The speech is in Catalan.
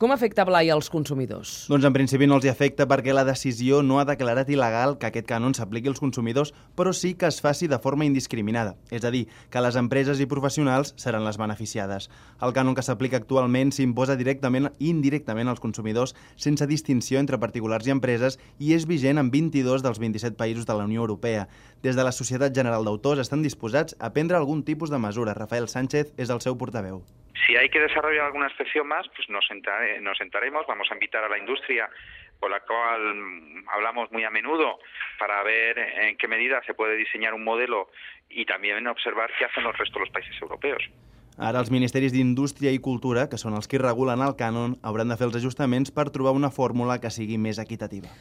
Com afecta, Blai, als consumidors? Doncs en principi no els hi afecta perquè la decisió no ha declarat il·legal que aquest cànon s'apliqui als consumidors, però sí que es faci de forma indiscriminada. És a dir, que les empreses i professionals seran les beneficiades. El cànon que s'aplica actualment s'imposa directament i indirectament als consumidors sense distinció entre particulars i empreses i és vigent en 22 dels 27 països de la Unió Europea. Des de la Societat General d'Autors estan disposats a prendre algun tipus de mesura. Rafael Sánchez és el seu portaveu. Si hay que desarrollar alguna excepción más, pues nos sentaremos, vamos a invitar a la industria, con la cual hablamos muy a menudo, para ver en qué medida se puede diseñar un modelo y también observar qué hacen el resto de los países europeos. Ara els ministeris d'Indústria i Cultura, que són els que regulen el cànon, hauran de fer els ajustaments per trobar una fórmula que sigui més equitativa.